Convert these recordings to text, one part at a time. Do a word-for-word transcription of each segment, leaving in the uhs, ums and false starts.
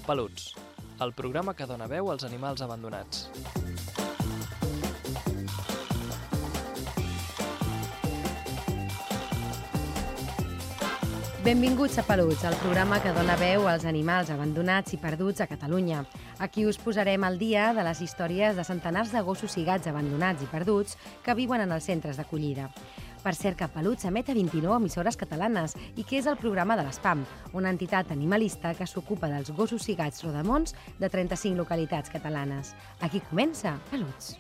Peluts, el programa que dona veu als animals abandonats. Benvinguts a Peluts, el programa que dona veu als animals abandonats i perduts a Catalunya. Aquí us posarem al dia de les històries de centenars de gossos i gats abandonats i perduts que viuen en els centres d'acollida. Per cert, que Peluts emet a vint-i-nou emissores catalanes i que és el programa de l'ESPAM, una entitat animalista que s'ocupa dels gossos i gats rodamons de trenta-cinc localitats catalanes. Aquí comença Peluts.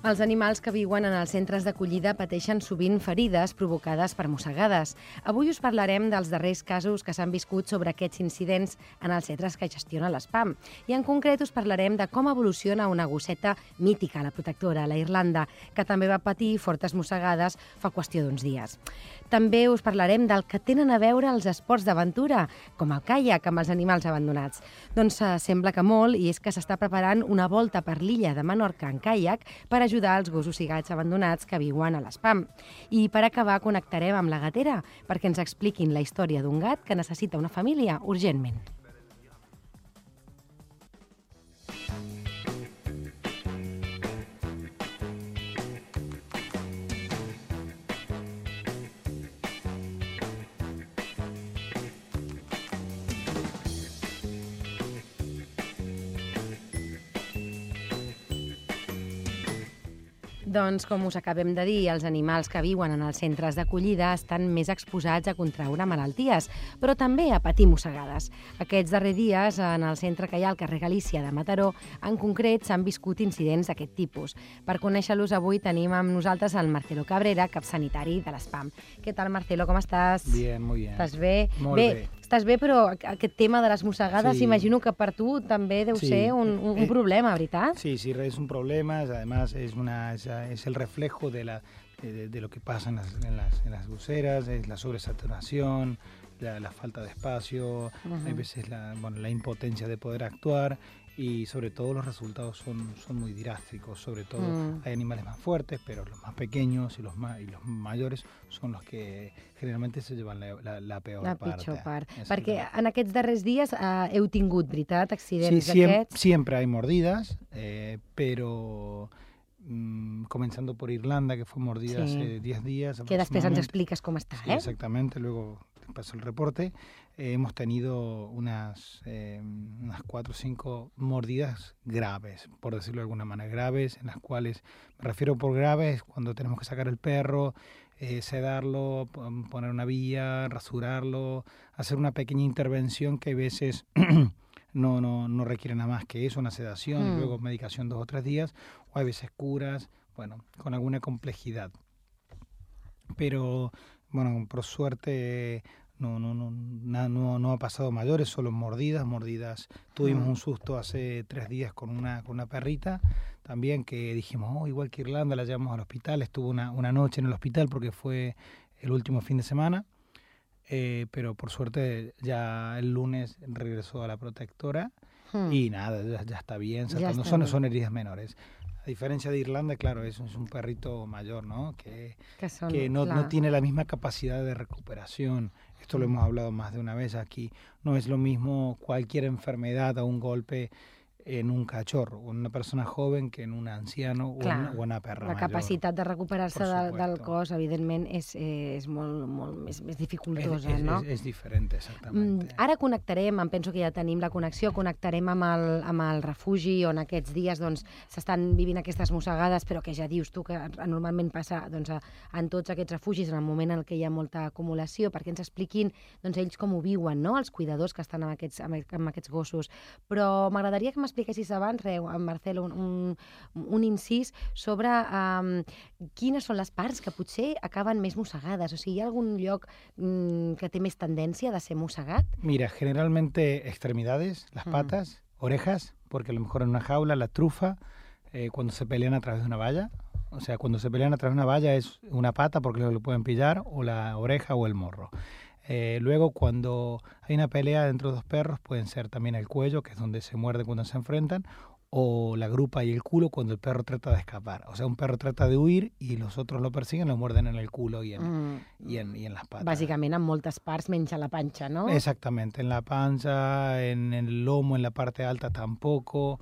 Els animals que viuen en els centres d'acollida pateixen sovint ferides provocades per mossegades. Avui us parlarem dels darrers casos que s'han viscut sobre aquests incidents en els centres que gestiona l'ESPAM. I en concret us parlarem de com evoluciona una gosseta mítica, la protectora, la Irlanda, que també va patir fortes mossegades fa qüestió d'uns dies. També us parlarem del que tenen a veure els esports d'aventura, com el caiac amb els animals abandonats. Doncs eh, sembla que molt, i és que s'està preparant una volta per l'illa de Menorca en caiac per ajudar els gossos i gats abandonats que viuen a l'ESPAM. I per acabar connectarem amb la gatera perquè ens expliquin la història d'un gat que necessita una família urgentment. Doncs, com us acabem de dir, els animals que viuen en els centres d'acollida estan més exposats a contraure malalties, però també a patir mossegades. Aquests darrers dies, en el centre que hi ha al carrer Galícia de Mataró, en concret, s'han viscut incidents d'aquest tipus. Per conèixer-los, avui tenim amb nosaltres el Marcelo Cabrera, cap sanitari de l'ESPAM. Què tal, Marcelo, com estàs? Bien, muy bien. Estàs bé? Molt bé. bé. Estàs bé, però aquest tema de les mossegades, Sí. imagino que per tu també deu Sí. ser un, un, un Eh, problema, ¿verdad? Sí, sí, es un problema, además es, una, es, es el reflejo de, la, de, de lo que pasa en las, en las, en las buceras, es la sobresaturación, la, la falta de espacio, Uh-huh. hay veces la, bueno, la impotencia de poder actuar y sobre todo los resultados son, son muy drásticos, sobre todo Mm. hay animales más fuertes, pero los más pequeños y los, más, y los mayores son los que generalmente se llevan la, la, la peor La parte. pitjor part. Exactamente. Perquè en aquests darrers dies eh, heu tingut, veritat, Sí, accidents siem- d'aquests? siempre hay mordidas, eh, pero mm, comenzando por Irlanda, que fue mordida Sí. hace diez días. Que després ens aproximadamente. expliques com està, Sí, eh? exactamente, luego te paso el reporte. Eh, hemos tenido unas, eh, unas cuatro o cinco mordidas graves, por decirlo de alguna manera, graves, en las cuales, me refiero por graves, cuando tenemos que sacar el perro, eh, sedarlo, pon- poner una vía, rasurarlo, hacer una pequeña intervención que a veces no, no, no requiere nada más que eso, una sedación, Mm. y luego medicación dos o tres días, o a veces curas, bueno, con alguna complejidad. Pero, bueno, por suerte no, no, no, na- no, no ha pasado mayores, solo mordidas, mordidas. Tuvimos Mm. un susto hace tres días con una, con una perrita también que dijimos, oh, igual que Irlanda, la llevamos al hospital. Estuvo una, una noche en el hospital porque fue el último fin de semana, eh, pero por suerte ya el lunes regresó a la protectora Mm. y nada, ya, ya está bien, Ya saltando. está Son, bien. son heridas menores. A diferencia de Irlanda, claro, es, es un perrito mayor, ¿no? Que, Que, són, que no, clar. no tiene la misma capacidad de recuperación. Esto lo hemos hablado más de una vez aquí. No es lo mismo cualquier enfermedad o un golpe en un cachorro o en una persona joven que en un anciano o en, Clar, o una perra La mayor. capacitat de recuperar-se Por del, del supuesto. cos, evidentment, és, és molt, molt més, més Es, dificultosa, es- no? es- es diferente, Mm, exactamente. Ara connectarem, em penso que ja tenim la connexió, connectarem amb el, amb el refugi on aquests dies doncs, s'estan vivint aquestes mossegades, però que ja dius tu que normalment passa doncs, a, en tots aquests refugis en el moment en què hi ha molta acumulació, perquè ens expliquin doncs, ells com ho viuen, no? Els cuidadors que estan amb aquests, amb, amb aquests gossos. Però m'agradaria que m'expliquessis abans, re, en Marcelo, un, un, un incís sobre um, quines són les parts que potser acaben més mossegades. O sigui, hi ha algun lloc um, que té més tendència de ser mossegat? Mira, generalmente extremidades, las Mm. patas, orejas, porque a lo mejor en una jaula la trufa, eh, cuando se pelean a través de una valla, o sea, cuando se pelean a través de una valla es una pata porque lo pueden pillar, o la oreja o el morro. Eh, luego, cuando hay una pelea entre dos perros, pueden ser también el cuello, que es donde se muerden cuando se enfrentan, o la grupa y el culo cuando el perro trata de escapar. O sea, un perro trata de huir y los otros lo persiguen, lo muerden en el culo y en, Mm. y en, y en las patas. Bàsicament en moltes parts menys a la panxa, no? Exactamente, en la panza, en el lomo, en la parte alta tampoco.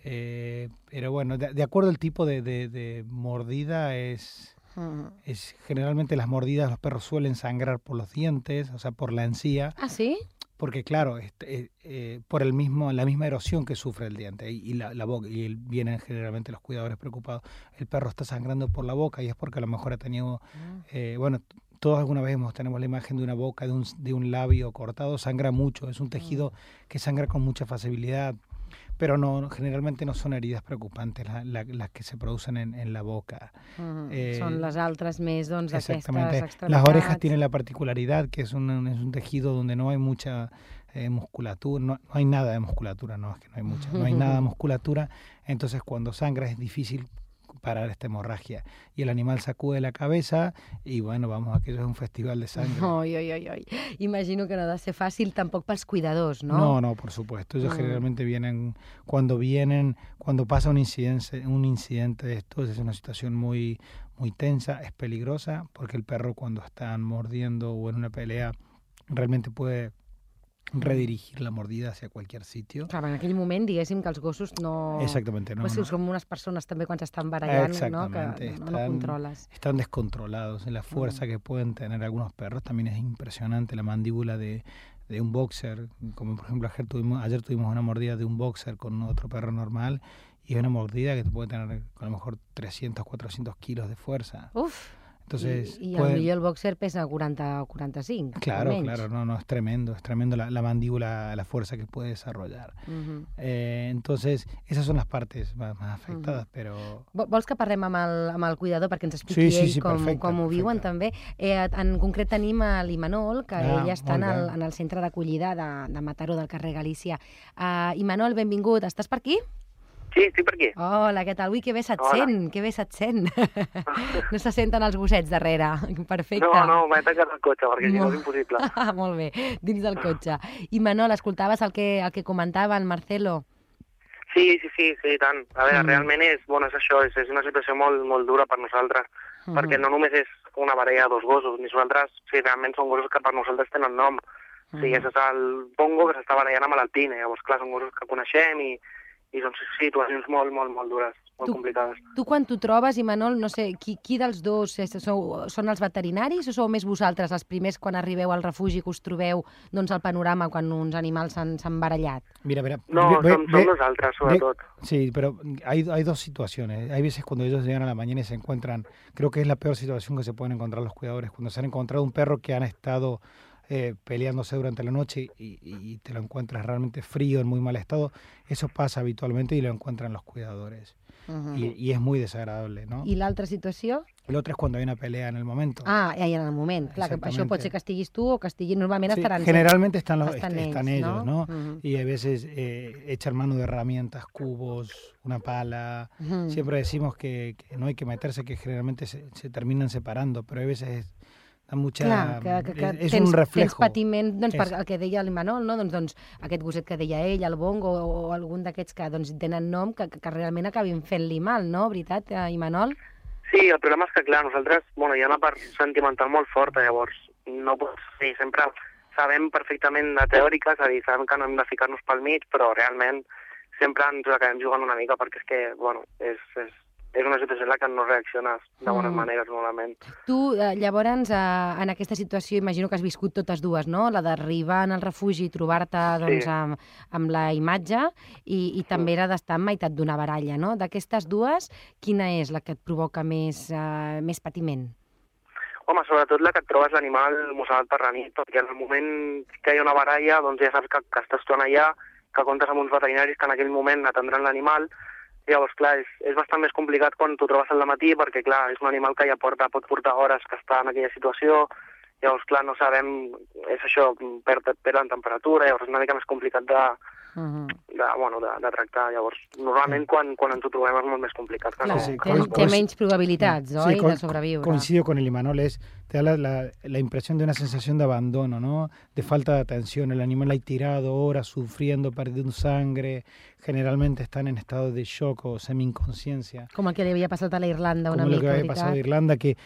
Eh, pero bueno, de, de acuerdo al tipo de, de, de mordida es... Mm. Es, generalmente las mordidas, los perros suelen sangrar por los dientes, o sea, por la encía, Ah, sí? porque claro, este, eh, eh, por el mismo, la misma erosión que sufre el diente y, y la, la boca, y el- vienen generalmente los cuidadores preocupados, el perro está sangrando por la boca y es porque a lo mejor ha tenido, eh, bueno, t- todos alguna vez hemos, tenemos la imagen de una boca, de un, s- de un labio cortado, sangra mucho, es un tejido que sangra con mucha facilidad. Pero no, generalmente no son heridas preocupantes la- la- las que se producen en, en la boca. Mm. Eh, Són les altres més, doncs, d'aquestes Exactamente. extremitats. Las orejas tienen la particularidad que es un, es un tejido donde no hay mucha eh, musculatura, no, no hay nada de musculatura, no es que no hay mucha, no hay nada de musculatura, entonces cuando sangra es difícil parar esta hemorragia y el animal sacude la cabeza y bueno, vamos, aquello es un festival de sangre. Oi, oi, oi, oi. Imagino que no ha de ser fàcil tampoc pels cuidadors, no? No, no, por supuesto. Ellos Mm. generalmente vienen, cuando vienen, cuando pasa un incidente, un incidente de estos, es una situación muy, muy tensa, es peligrosa, porque el perro cuando están mordiendo o en una pelea realmente puede redirigir la mordida hacia cualquier sitio. Clar, en aquell moment, diguéssim que els gossos no... Exactamente, no, Pues sí, no. som unes persones també quan s'estan barallant, no? Exactamente, Que no, no están- controles. Están descontrolados. La fuerza que pueden tener algunos perros también es impresionante. La mandíbula de, de un boxer, como por ejemplo ayer tuvimos, ayer tuvimos una mordida de un boxer con otro perro normal y es una mordida que te puede tener a lo mejor trescientos, cuatrocientos kilos de fuerza. Uf! Entonces, I, i pueden- potser el boxer pesa quaranta o quaranta-cinc, claro, almenys. claro, no, no, es tremendo, es tremendo la, la mandíbula, la fuerza que puede desarrollar. Mhm. Eh, entonces, esas son las partes más, más afectadas, pero... Vo- Vols que parlem amb el, amb el cuidador perquè ens expliqui Sí, sí, ell sí, com, perfecte, com ho viuen perfecte. també? Eh, en concret tenim a l'Imanol, que Ah, ella està en molt el, bé. en el centre d'acollida de, de Mataró, del carrer Galícia. Uh, Imanol, benvingut. Estàs per aquí? Sí, estic per aquí. Hola, què tal? Ui, que bé se't Hola. sent, que bé se't sent. No se senten els gossets darrere. Perfecte. No, no, m'he tancat el cotxe, perquè si no Molt- és impossible. Ah, molt bé, dins del cotxe. I Manol, escoltaves el que, el que comentava el Marcelo? Sí, sí, sí, sí, i tant. A veure, Mm. realment és, bueno, és això, és, és una situació molt, molt dura per nosaltres, perquè no només és una parella de dos gossos, ni nosaltres, sí, realment són gossos que per nosaltres tenen nom. O sigui, Mm. és el Pongo que s'està barallant amb l'Alpine, llavors, clar, són gossos que coneixem i, i són situacions molt, molt, molt dures, molt Tu- complicades. Tu quan t'ho trobes, Imanol, no sé, qui, qui dels dos és, sou, són els veterinaris o sou més vosaltres els primers quan arribeu al refugi que us trobeu doncs, el panorama quan uns animals s'han s'han barallat? Mira, mira, No, ve- som, ve- som nosaltres, sobretot. Sí, pero hay, hay dos situaciones. Hay veces cuando ellos llegan a la mañana y se encuentran, creo que es la peor situación que se pueden encontrar los cuidadores, cuando se han encontrado un perro que han estado eh, peleándose durante la noche y, y te lo encuentras realmente frío, en muy mal estado. Eso pasa habitualmente y lo encuentran los cuidadores. Uh -huh. Y, y es muy desagradable, ¿no? I l'altra situació? El otro es cuando hay una pelea en el momento. Ah, ja en el moment. Clar, que això Exactamente. pot ser que estiguis tu o que estigui... Normalment Sí, estaran... generalmente están, los, estan est- están ells, ellos, no? ¿no? Mhm. Y a veces eh, echan mano de herramientas, cubos, una pala. Mhm. Siempre decimos que, que no hay que meterse, que generalmente se, se terminan separando, pero a veces es- da mucha... Clar, que, que, que es, es tens, un tens reflejo. patiment, doncs, És- per el que deia l'Imanol, no? doncs, doncs, aquest gosset que deia ell, el Bongo, o, o algun d'aquests que doncs, tenen nom, que, que, que realment acabin fent-li mal, no? Veritat, eh, Imanol? Sí, el problema és que, clar, nosaltres, bueno, hi ha una part sentimental molt forta, llavors, no pots, sí, sempre sabem perfectament de teòrica, és a dir, sabem que no hem de ficar-nos pel mig, però realment sempre ens acabem jugant una mica perquè és que, bueno, és, és, és una situació en la que no reacciones de bones Mm. maneres, normalment. Tu, eh, llavors, eh, en aquesta situació, imagino que has viscut totes dues, no? La d'arribar en el refugi i trobar-te doncs, Sí. amb, amb la imatge i, i també era d'estar en meitat d'una baralla, no? D'aquestes dues, quina és la que et provoca més, eh, més patiment? Home, sobretot la que et trobes l'animal mossegat per la nit, perquè en el moment que hi ha una baralla, doncs ja saps que, que estàs tu allà que comptes amb uns veterinaris que en aquell moment atendran l'animal. Llavors, clar, és, és bastant més complicat quan t'ho trobes al matí, perquè, clar, és un animal que ja porta, pot portar hores que està en aquella situació. Llavors, clar, no sabem, és això, perd, perd en temperatura, llavors és una mica més complicat de, uh-huh. de, bueno, de, de tractar. Llavors, normalment quan, quan ens ho trobem és molt més complicat. Que clar, no, sí, que té, no té menys probabilitats, sí, oi, con, de sobreviure. Coincido con el Imanol, es, te da la, la, la impresión de una sensación de abandono, ¿no? De falta de atención. El animal ahí tirado, horas, sufriendo, perdiendo sangre. Generalmente están en estado de shock o semi-inconsciencia. Com el que li havia passat a la Irlanda una Como mica, lo que había pasado a Irlanda, que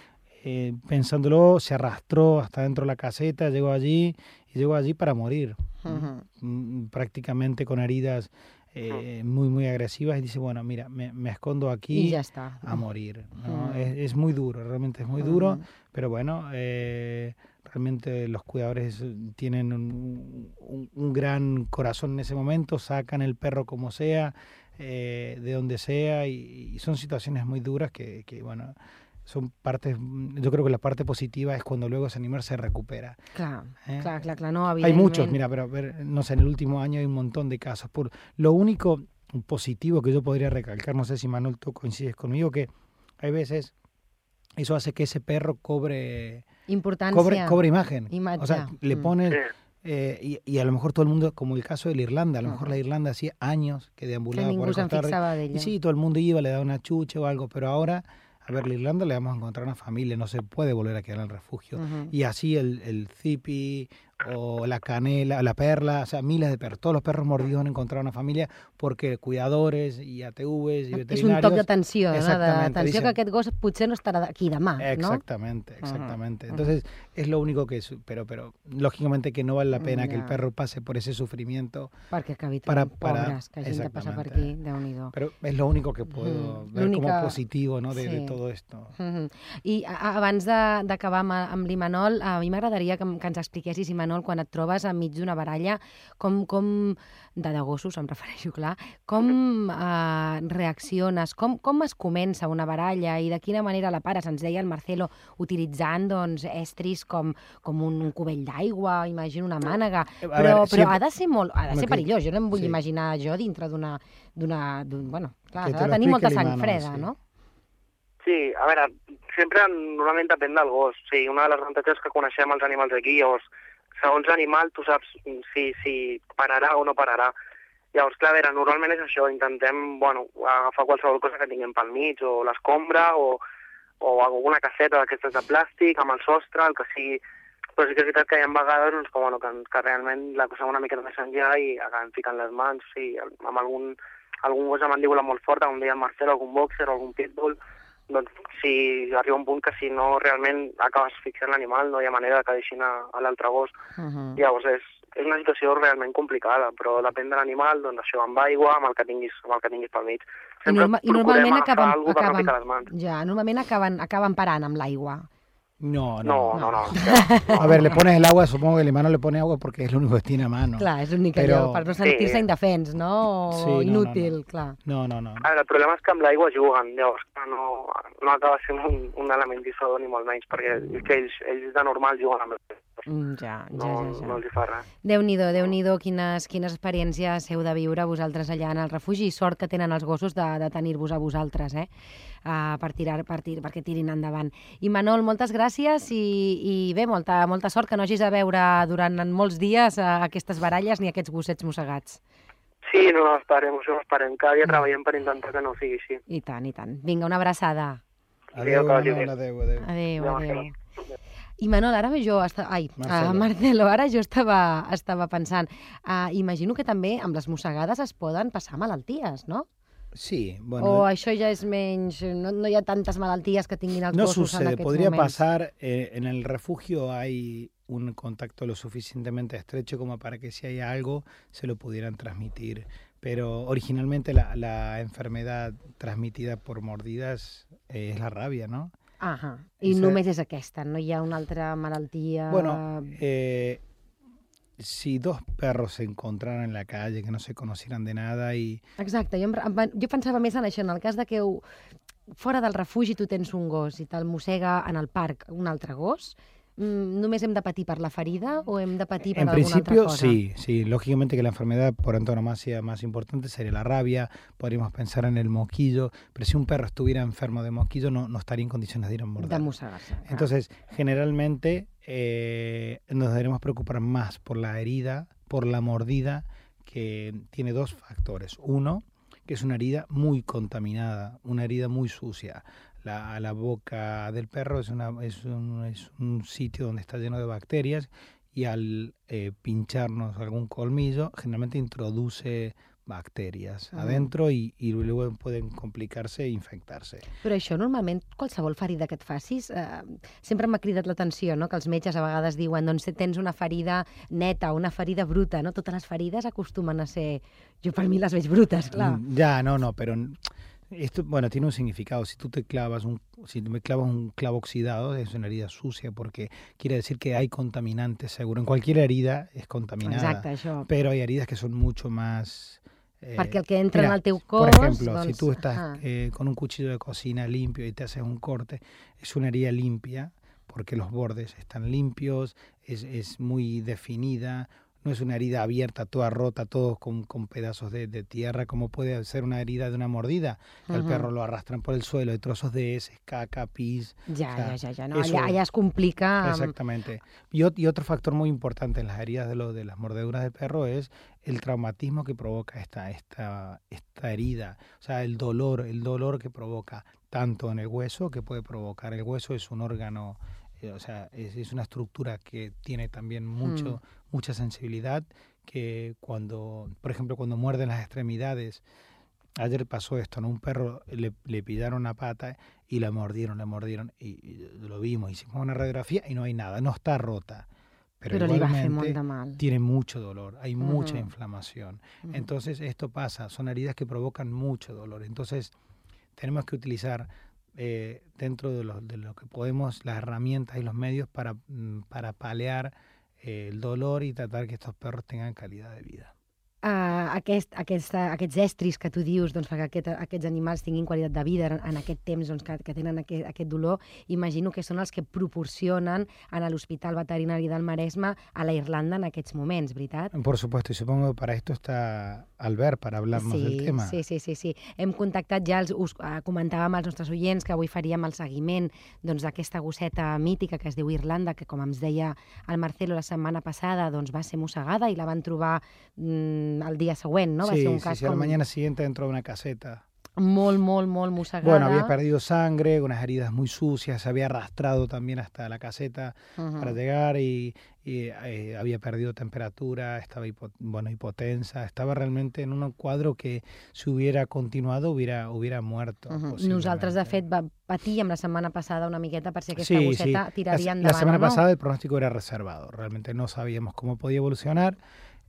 eh, pensándolo se arrastró hasta dentro de la caseta, llegó allí y llegó allí para morir. Uh-huh. Prácticamente con heridas eh, muy, muy agresivas, y dice, bueno, mira, me, me escondo aquí y ya está. a morir, ¿no? Uh-huh. es, es muy duro, realmente es muy uh-huh. duro, pero bueno, eh, realmente los cuidadores tienen un, un, un gran corazón en ese momento, sacan el perro como sea, eh, de donde sea, y, y son situaciones muy duras que, que, bueno, son partes, yo creo que la parte positiva es cuando luego ese animal se recupera. Claro, ¿eh? claro, claro, claro, no, Hay muchos, mira, pero ver, no sé, en el último año hay un montón de casos. Por, lo único positivo que yo podría recalcar, no sé si Manuel tú coincides conmigo, que hay veces eso hace que ese perro cobre importancia, cobre, cobre imagen. Imatge. O sea, le pones... Eh, y, y a lo mejor todo el mundo, como el caso de la Irlanda, a lo uh-huh. mejor la Irlanda hacía años que deambulaba que por el Costa Rica. Y sí, todo el mundo iba, le daba una chuche o algo, pero ahora... A ver, la Irlanda le vamos a encontrar una familia, no se puede volver a quedar en el refugio. Uh-huh. Y así el, el zipi o la canela, la perla, o sea, miles de perros. Todos los perros mordidos han encontrado una familia porque cuidadores y A T Vs y veterinarios... És un toc d'atenció, no? D'atenció dicen, que aquest gos potser no estarà aquí demà, exactamente, ¿no? Exactamente, exactamente. Uh-huh. Entonces, es lo único que... Pero, pero lógicamente que no vale la pena uh-huh. que el perro pase por ese sufrimiento. Perquè acabi para, para, pobres, que hagin de passar per aquí, Déu-n'hi-do. Pero es lo único que puedo uh-huh. ver como positivo, ¿no? de, sí. de todo esto. Uh-huh. I a, abans d'acabar amb, amb l'Imanol, a mi m'agradaria que, que ens expliquessis, Imanol, quan et trobes enmig d'una baralla, com, com de, de gossos, em refereixo, clar, com eh, reacciones, com, com es comença una baralla i de quina manera la pares? Ens deia el Marcelo, utilitzant doncs, estris com, com un, un cubell d'aigua, imagino una mànega, però, veure, però ha de ser molt, ha de ser perillós. Jo no em vull sí. imaginar jo dintre d'una... Bueno, clar, s'ha de tenir molta sang freda, sí. no? Sí, a veure, sempre normalment depèn del gos. Sí, una de les avantatges que coneixem els animals aquí, llavors, segons l'animal tu saps si, si pararà o no pararà. Llavors, clar, a veure, normalment és això, intentem, bueno, agafar qualsevol cosa que tinguem pel mig, o l'escombra, o, o alguna caseta d'aquestes de plàstic, amb el sostre, el que sigui. Però sí que és veritat que hi ha vegades doncs, que, bueno, que, que realment la cosa una mica més enllà i acabem ficant les mans, sí, amb algun, algun gos de mandíbula molt forta, com deia el Marcel, algun boxer o algun pitbull, doncs si arriba un punt que si no realment acabes fixant l'animal no hi ha manera que deixin a, a l'altre gos. Uh-huh. Llavors és, és una situació realment complicada, però depèn de l'animal, doncs això amb aigua, amb el que tinguis, amb el que tinguis pel mig. I, norma i normalment acaben, acaben, acaben, ja, normalment acaben, acaben parant amb l'aigua. No, no, no, no. no, no. A ver, le pones el agua, supongo que el hermano le pone agua porque es lo único que tiene a mano. Clar, és l'únic Però... allò, per no sentir-se sí. indefens, no? O sí, no, inútil, no, no. clar. No, no, no. A veure, el problema és que amb l'aigua juguen, llavors no, no acaba sent un, un element dissuador ni molt menys, perquè és que ells, ells de normal juguen amb l'aigua. Mm, ja, ja, no, ja, ja. No els hi fa res. Déu-n'hi-do, Déu-n'hi-do, quines, quines experiències heu de viure vosaltres allà en el refugi, i sort que tenen els gossos de, de tenir-vos a vosaltres, eh? Uh, per tirar, per tir, perquè tirin endavant. I Manol, moltes gràcies i, i bé, molta, molta sort, que no hagis de veure durant molts dies uh, aquestes baralles ni aquests gossets mossegats. Sí, no l'esperem, això l'esperem. Cada dia treballem per intentar que no sigui així. I tant, i tant. Vinga, una abraçada. Adéu, Manol, adéu, adéu. Adéu, adéu. I Manol, ara jo... Esta... Ai, Marcelo. Uh, Marcelo, ara jo estava, estava pensant... Uh, imagino que també amb les mossegades es poden passar malalties, no? Sí, bueno... O això ja és menys... No, no hi ha tantes malalties que tinguin els no gossos sucede. en aquests Podría moments. pasar, eh, en el refugio hay un contacto lo suficientemente estrecho como para que si hay algo se lo pudieran transmitir. Pero originalmente la, la enfermedad transmitida por mordidas eh, es la rabia, ¿no? Ajá. I Esa... només és aquesta, no hi ha una altra malaltia... Bueno, eh, si dos perros se encontraran en la calle, que no se conocieran de nada y... Exacte, jo, em, jo pensava més en això, en el cas de que ho, fora del refugi tu tens un gos i te'l mossega en el parc un altre gos, només hem de patir per la ferida o hem de patir per en alguna principio, otra cosa? sí, sí. Lógicamente que la enfermedad por antonomasia más importante sería la rabia, podríamos pensar en el mosquillo, pero si un perro estuviera enfermo de mosquillo no, no estaría en condiciones de ir a morder. De mossegar-se. Entonces, generalmente eh, nos deberemos preocupar más por la herida, por la mordida, que tiene dos factores. Uno, que es una herida muy contaminada, una herida muy sucia. La, la boca del perro es, una, es, un, es un sitio donde está lleno de bacterias y al eh, pincharnos algún colmillo generalmente introduce bacterias Mm. adentro y, y luego pueden complicarse e infectarse. Però això normalment, qualsevol ferida que et facis, eh, sempre m'ha cridat l'atenció, no? Que els metges a vegades diuen doncs tens una ferida neta, una ferida bruta, no? Totes les ferides acostumen a ser... Jo per mi les veig brutes, clar. Mm, Ya, no, no, pero esto, bueno, tiene un significado. Si tú te clavas un, si me clavas un clavo oxidado, es una herida sucia porque quiere decir que hay contaminantes seguro. En cualquier herida es contaminada, Exacte, això. pero hay heridas que son mucho más... eh, Perquè el que entra mira, en el teu por cos... ejemplo, doncs, si tú estás ah, eh, con un cuchillo de cocina limpio y te haces un corte, es una herida limpia porque los bordes están limpios, es, es muy definida, no es una herida abierta, toda rota, todos con, con pedazos de, de tierra, como puede ser una herida de una mordida. El Ujú. perro lo arrastran por el suelo, hay trozos de heces, caca, pis. Ja, o sea, ja, ja, ja. No, eso- allà, allà es complica... amb- Exactamente. Y, ot- y otro factor muy importante en las heridas de, lo, de las mordeduras del perro es el traumatismo que provoca esta, esta, esta herida. O sea, el dolor, el dolor que provoca tanto en el hueso, que puede provocar. El hueso es un órgano, eh, o sea, es, es una estructura que tiene también mucho, mucha sensibilidad, que cuando, por ejemplo, cuando muerden las extremidades, ayer pasó esto, ¿no? Un perro le, le pillaron una pata y la mordieron, la mordieron, y, y lo vimos, hicimos una radiografía y no hay nada, no está rota, pero, Però li va fer molt igualmente de mal. tiene mucho dolor, hay mucha Ujú. inflamación. Ujú. Entonces esto pasa, son heridas que provocan mucho dolor. Entonces tenemos que utilizar eh, dentro de lo, de lo que podemos las herramientas y los medios para, mm, para paliar eh, el dolor y tratar que estos perros tengan calidad de vida. Uh, aquest, aquesta, aquests estris que tu dius doncs, perquè aquest, aquests animals tinguin qualitat de vida en, en aquest temps doncs, que, que tenen aquest, aquest dolor, imagino que són els que proporcionen a l'Hospital Veterinari del Maresme a la Irlanda en aquests moments, veritat? Por supuesto, y supongo que para esto está Albert, para hablarnos sí, del tema. Sí, sí, sí, sí. Hem contactat ja, els, us uh, comentàvem als nostres oients que avui faríem el seguiment doncs, d'aquesta gosseta mítica que es diu Irlanda, que com ens deia el Marcelo la setmana passada, doncs, va ser mossegada i la van trobar mm, el dia següent, no? Va Sí, ser un sí, cas sí, a la com mañana siguiente dentro de una caseta. molt, molt, molt mossegada. Bueno, había perdido sangre, unas heridas muy sucias, se había arrastrado también hasta la caseta Uh-huh. para llegar y, y, eh, había perdido temperatura, estaba hipo, bueno, hipotensa, estaba realmente en un cuadro que si hubiera continuado hubiera, hubiera muerto. Uh-huh. posiblemente. Nosaltres, de fet, va, patíem la setmana passada una miqueta per si aquesta Sí, gosseta sí. tiraria La, endavant la semana o no. pasada el pronóstico era reservado, realmente no sabíamos cómo podía evolucionar.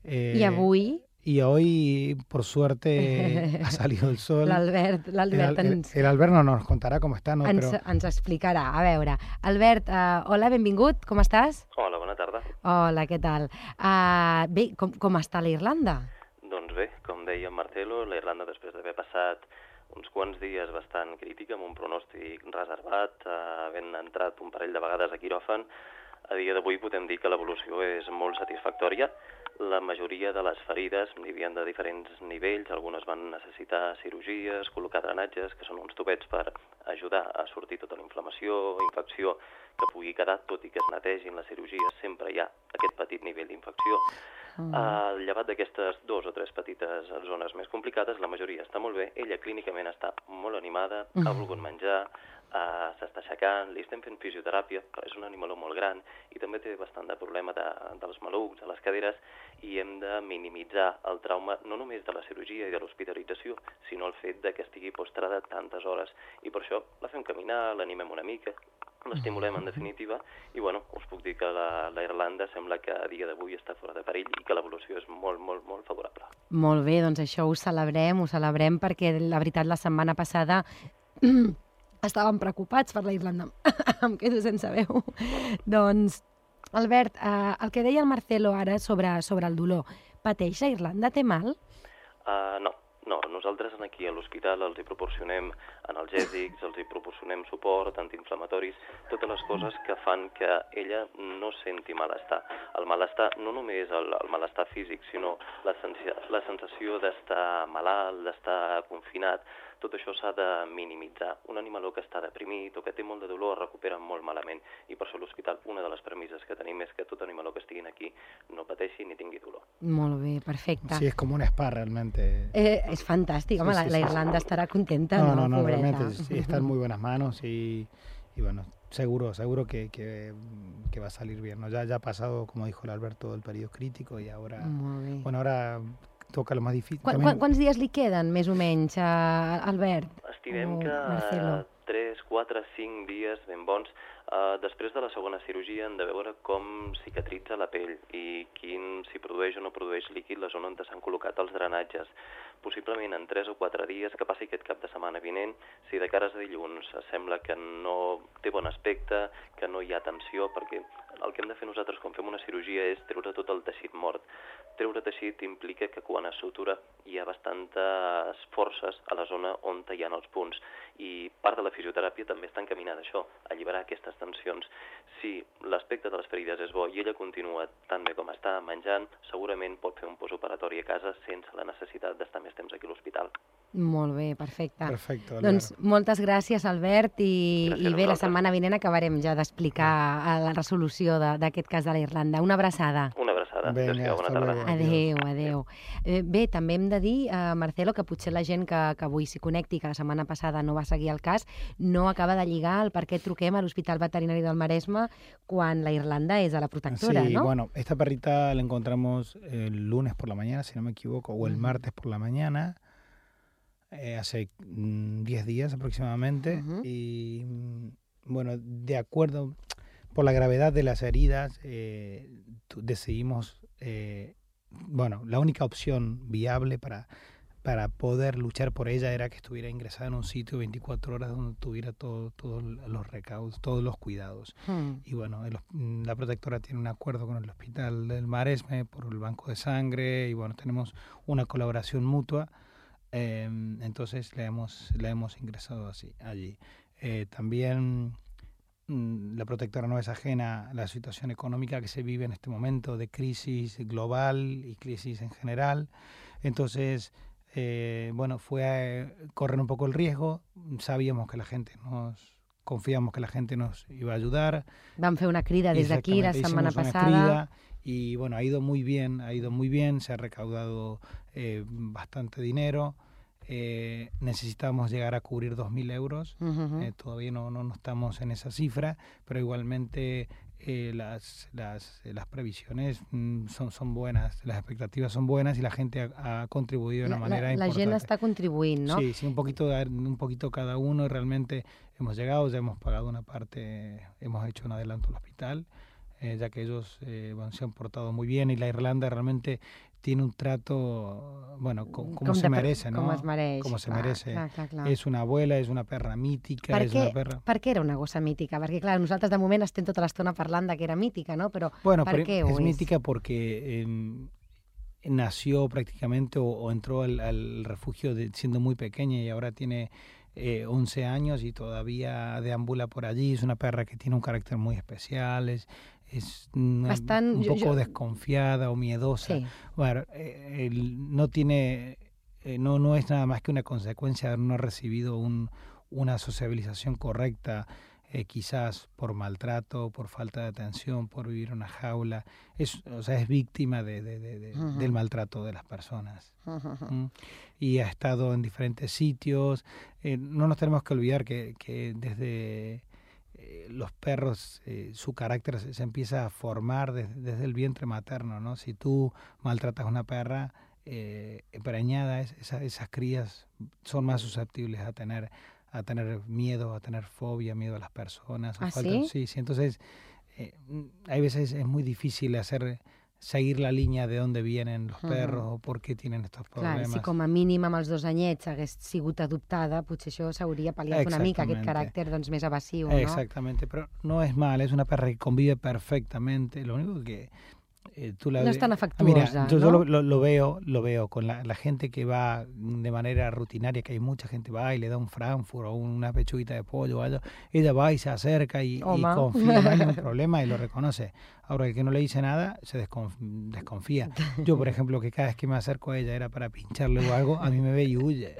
eh, I avui Y hoy, por suerte, ha salido el sol. l'Albert El, l'Albert el, ens, el Albert no nos contará cómo está, ¿no? ens, Pero ens explicarà. A veure, Albert, uh, hola, benvingut, com estàs? Hola, bona tarda. Hola, què tal? Uh, bé, com, com està la Irlanda? Doncs bé, com deia en Marcelo, la Irlanda, després d'haver passat uns quants dies bastant crítica, amb un pronòstic reservat, eh, havent entrat un parell de vegades a quiròfan, a dia d'avui podem dir que l'evolució és molt satisfactòria. La majoria de les ferides n'hi havia de diferents nivells, algunes van necessitar cirurgies, col·locar drenatges, que són uns tubets per ajudar a sortir tota la inflamació, infecció que pugui quedar, tot i que es netegin les cirurgies, sempre hi ha aquest petit nivell d'infecció. Mm. Uh, llevat d'aquestes dos o tres petites zones més complicades, la majoria està molt bé, ella clínicament està molt animada, Mm. ha volgut menjar, uh, s'està aixecant, li estem fent fisioteràpia, però és un animaló molt gran i també té bastant de problema de, dels malucs, de les caderes, i hem de minimitzar el trauma no només de la cirurgia i de l'hospitalització, sinó el fet de que estigui postrada tantes hores. I per això la fem caminar, l'animem una mica, l'estimulem en definitiva, i bueno, us puc dir que la, la Irlanda sembla que a dia d'avui està fora de perill i que l'evolució és molt, molt, molt favorable. Molt bé, doncs això ho celebrem, ho celebrem perquè la veritat la setmana passada estàvem preocupats per la Irlanda. Em quedo sense veu. Doncs, Albert, eh, el que deia el Marcelo ara sobre, sobre el dolor, pateix la Irlanda? Té mal? Uh, no, No, nosaltres aquí a l'hospital els hi proporcionem analgèsics, els hi proporcionem suport, antiinflamatoris, totes les coses que fan que ella no senti malestar. El malestar no només el, el malestar físic, sinó la, sensació, la sensació d'estar malalt, d'estar confinat, tot això s'ha de minimitzar. Un animaló que està deprimit o que té molt de dolor es recupera molt malament i per això a l'hospital una de les premisses que tenim és que tot animaló que estiguin aquí no pateixi ni tingui dolor. Molt bé, perfecte. Sí, es como un spa realmente. Eh, es fantàstic, home, Sí, sí, la, la sí, Irlanda sí. estarà contenta, No, no, no, no, pobreta? realmente sí, está en muy buenas manos y, y bueno, seguro, seguro que, que, que va a salir bien, ¿no? Ya, ya ha pasado, como dijo el Alberto, el periodo crítico y ahora, Molt bé. bueno, ahora toca lo más difícil. Qu También- qu quants dies li queden, més o menys, a Albert? Estimem o que Marcelo? tres, quatre, cinc dies ben bons. Uh, després de la segona cirurgia hem de veure com cicatritza la pell i quin, si produeix o no produeix líquid la zona on s'han col·locat els drenatges. Possiblement en tres o quatre dies, que passi aquest cap de setmana vinent, si de cares a dilluns sembla que no té bon aspecte, que no hi ha tensió, perquè el que hem de fer nosaltres quan fem una cirurgia és treure tot el teixit mort. Treure teixit implica que quan es sutura hi ha bastantes forces a la zona on hi ha els punts i part de la fisioteràpia també està encaminada a això, a alliberar aquestes tensions. Si l'aspecte de les ferides és bo i ella continua tan bé com està, menjant, segurament pot fer un postoperatori a casa sense la necessitat d'estar més temps aquí a l'hospital. Molt bé, perfecte. Perfecto, Doncs Álvaro. moltes gràcies, Albert, i, Gràcies i a bé, la vosaltres. setmana vinent acabarem ja d'explicar la resolució de- d'aquest cas de la Irlanda. Una abraçada. Una abraçada. Vinga, Adéu-siau, bona hasta tarda. luego. Adéu, adéu. Eh, bé, també hem de dir, eh, Marcelo, que potser la gent que, que avui s'hi connecti, que la setmana passada no va seguir el cas, no acaba de lligar el per què truquem a l'Hospital Veterinari del Maresme quan la Irlanda és a la protectora, Sí, no? bueno, esta perrita la encontramos el lunes por la mañana, si no me equivoco, o el Ujú. martes por la mañana, eh, hace mm, diez días aproximadamente. Ujú. Y mm, bueno, de acuerdo, por la gravedad de las heridas, eh, tu- decidimos, eh, bueno, la única opción viable para, para poder luchar por ella era que estuviera ingresada en un sitio veinticuatro horas donde tuviera todo- todos los recaudos, todos los cuidados. Mm. Y bueno, el hos- la protectora tiene un acuerdo con el Hospital del Maresme por el banco de sangre y bueno, tenemos una colaboración mutua. eh, entonces le hemos, le hemos ingresado así, allí. Eh, también mm, la protectora no es ajena a la situación económica que se vive en este momento de crisis global y crisis en general. Entonces, eh, bueno, fue a correr un poco el riesgo. Sabíamos que la gente nos... Confiamos que la gente nos iba a ayudar. Vam fer una crida des d'aquí la Exactamente, setmana hicimos una passada. crida y bueno, ha ido muy bien, ha ido muy bien, se ha recaudado eh, bastante dinero. Eh, necesitamos llegar a cubrir dos mil euros. Uh-huh. Eh, todavía no, no, no estamos en esa cifra, pero igualmente eh, las, las, eh, las previsiones mm, son, son buenas, las expectativas son buenas y la gente ha, ha contribuido de una La, manera la, la gent importante. està contribuint, no? Sí, sí, un poquito, de- un poquito cada uno y realmente hemos llegado, ya hemos pagado una parte, hemos hecho un adelanto al hospital, eh, ya que ellos eh, bueno, se han portado muy bien y la Irlanda realmente tiene un trato, bueno, co- como Com se de per- merece, ¿no? Com es mereix. Como se clar, merece. Clar, clar, clar. Es una abuela, es una perra mítica, Per es què, una perra... per què era una gossa mítica? Perquè, clar, nosaltres de moment estem tota l'estona parlant de que era mítica, no? Però Bueno, per pero què ho es és? mítica porque em, nació prácticamente o, o entró al, al refugio de- siendo muy pequeña y ahora tiene eh, once años y todavía deambula por allí. Es una perra que tiene un carácter muy especial, es, es una- Bastant- un jo- poco jo- desconfiada o miedosa. Sí. Bueno, eh, él no tiene, eh, no, no es nada más que una consecuencia de no haber recibido un, una sociabilización correcta, eh, quizás por maltrato, por falta de atención, por vivir en una jaula. Es, o sea, es víctima de, de- de- de- Ujú. del maltrato de las personas. Uh-huh. ¿Mm? Y ha estado en diferentes sitios. Eh, no nos tenemos que olvidar que, que desde eh, los perros, eh, su carácter se, se empieza a formar desde, desde el vientre materno, ¿no? Si tú maltratas a una perra eh, preñada, es- esa- esas crías son más susceptibles a tener a tener miedo, a tener fobia, miedo a las personas. o ¿Ah, falta- sí? Sí, sí. Entonces, eh, hay veces es muy difícil hacer seguir la línea de dónde vienen los Ujú. perros o por qué tienen estos Clar, problemas. si com a mínim amb els dos anyets hagués sigut adoptada, potser això s'hauria pal·liat una mica, aquest Exactamente. caràcter doncs, més evasiu, no? Exactamente, pero no es mal, es una perra que convive perfectamente. Lo único que Eh, tú la no ve- es tan Ah, afectuosa, mira, yo, yo ¿no? lo, lo- lo veo, lo veo con la, la gente que va de manera rutinaria, que hay mucha gente va y le da un Frankfurt o una pechuguita de pollo o algo, ella va y se acerca y, y Home. confía, no hay ningún problema y lo reconoce. Ahora, el que no le dice nada se desconf- desconfía. Yo, por ejemplo, que cada vez que me acerco a ella era para pincharle o algo, a mí me ve y huye.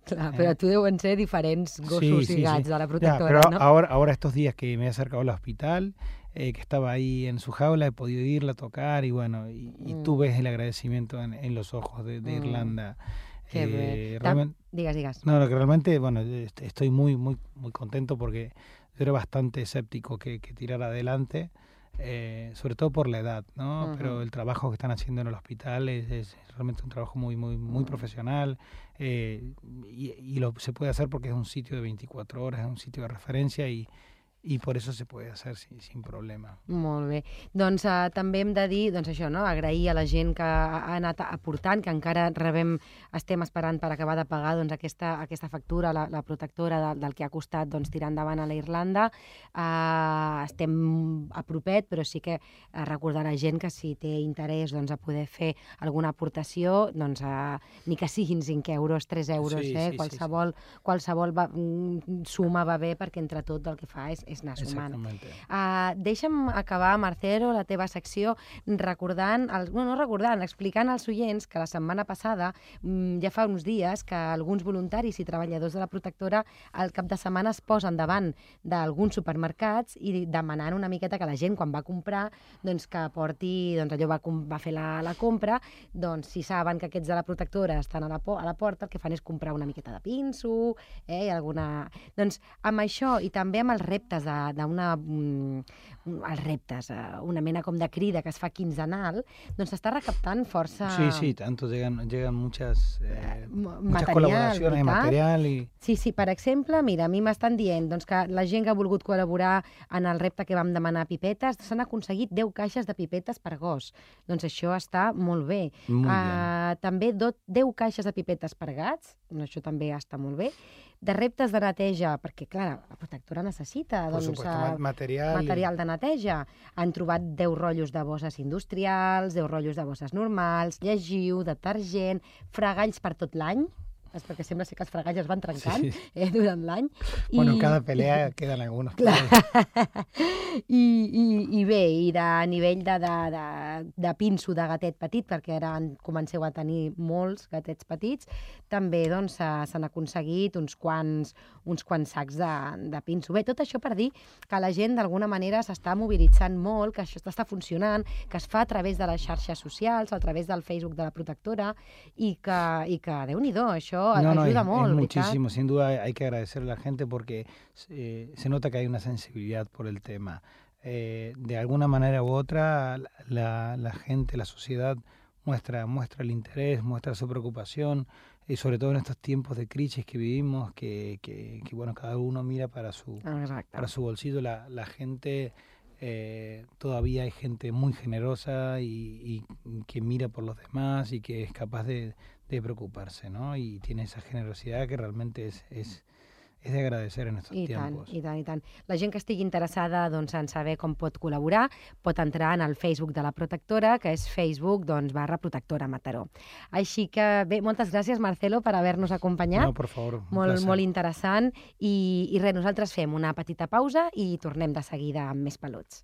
Clar, però tu deuen ser diferents gossos i gats de la Ya, protectora, pero no? ahora, ahora estos días que me he acercado al hospital, eh, que estaba ahí en su jaula, he podido irla a tocar y bueno, y, y Mm. tú ves el agradecimiento en, en los ojos de, de Mm. Irlanda. Que bé. Eh, Tam- realmente, Digues, digues. no, lo que realmente, bueno, est- estoy muy, muy, muy contento porque yo era bastante escéptico que, que tirar adelante, eh, sobre todo por la edad, ¿no? Ujú. Pero el trabajo que están haciendo en el hospital es, es realmente un trabajo muy, muy, muy Mm. profesional, eh, y, y lo se puede hacer porque es un sitio de veinticuatro horas, es un sitio de referencia y, y por eso se puede hacer sin, sin problema. Molt bé. Doncs uh, també hem de dir, doncs això, no? Agrair a la gent que ha ha anat aportant, que encara rebem, estem esperant per acabar de pagar doncs, aquesta, aquesta factura, la, la protectora de, del que ha costat doncs, tirar endavant a la Irlanda. Uh, estem a propet, però sí que uh, recordar a la gent que si té interès doncs, a poder fer alguna aportació, doncs, uh, ni que siguin cinc euros, tres euros, Sí, eh? sí, sí, qualsevol, qualsevol va, mm, suma va bé perquè entre tot el que fa és, és anar sumant. Exactamente. Uh, deixa'm acabar, Marcelo, la teva secció recordant, el, no, no recordant, explicant als oients que la setmana passada, mm, ja fa uns dies, que alguns voluntaris i treballadors de la protectora al cap de setmana es posen davant d'alguns supermercats i demanant una miqueta que la gent, quan va comprar, doncs que porti, doncs allò va, com- va fer la, la compra, doncs si saben que aquests de la protectora estan a la, po a la porta, el que fan és comprar una miqueta de pinso, eh, i alguna... Doncs amb això i també amb els reptes de- d'una... Mm, els reptes, eh, una mena com de crida que es fa quinzenal, doncs s'està recaptant força... Sí, sí, tanto llegan, llegan muchas, eh, ma- muchas material, colaboraciones de veritat? material y... Sí, sí, per exemple, mira, a mi m'estan dient doncs, que la gent que ha volgut col·laborar en el repte que vam demanar pipetes, s'han aconseguit deu caixes de pipetes per gos. Doncs això està molt bé. Muy bien. Uh, també do, deu caixes de pipetes per gats, això també està molt bé. De reptes de neteja, perquè, clar, la protectora necessita Por doncs, supuesto, eh, ma- material. y- material de neteja. Han trobat deu rotllos de bosses industrials, deu rotllos de bosses normals, llegiu, detergent, fregalls per tot l'any, és perquè sembla ser que els fregalls es van trencant Sí. eh, durant l'any. Bueno, en I- cada pelea quedan algunos. Clar. pero- I, i, I bé, i de nivell de, de, de, de pinso de gatet petit, perquè ara en comenceu a tenir molts gatets petits, també doncs, s'ha- s'han aconseguit uns quants, uns quants sacs de, de pinso. Bé, tot això per dir que la gent d'alguna manera s'està mobilitzant molt, que això està funcionant, que es fa a través de les xarxes socials, a través del Facebook de la protectora, i que, i que Déu-n'hi-do, això No, no, ajuda es, molt, es veritat? muchísimo. Sin duda hay que agradecerle a la gente porque eh, se nota que hay una sensibilidad por el tema. Eh, de alguna manera u otra, la, la gente, la sociedad muestra, muestra el interés, muestra su preocupación, y sobre todo en estos tiempos de crisis que vivimos, que, que, que, bueno, cada uno mira para su, Exacte. para su bolsillo. La, la gente, eh, todavía hay gente muy generosa y, y que mira por los demás y que es capaz de, de preocuparse, ¿no? Y tiene esa generosidad que realmente es, es, es de agradecer en estos I tant, tiempos. i tant, i tant. La gent que estigui interessada doncs, en saber com pot col·laborar pot entrar en el Facebook de la protectora, que és Facebook doncs, barra protectora Mataró. Així que, bé, moltes gràcies, Marcelo, per haver-nos acompanyat. No, por favor, un molt, placer. molt interessant. I, I res, nosaltres fem una petita pausa i tornem de seguida amb més peluts.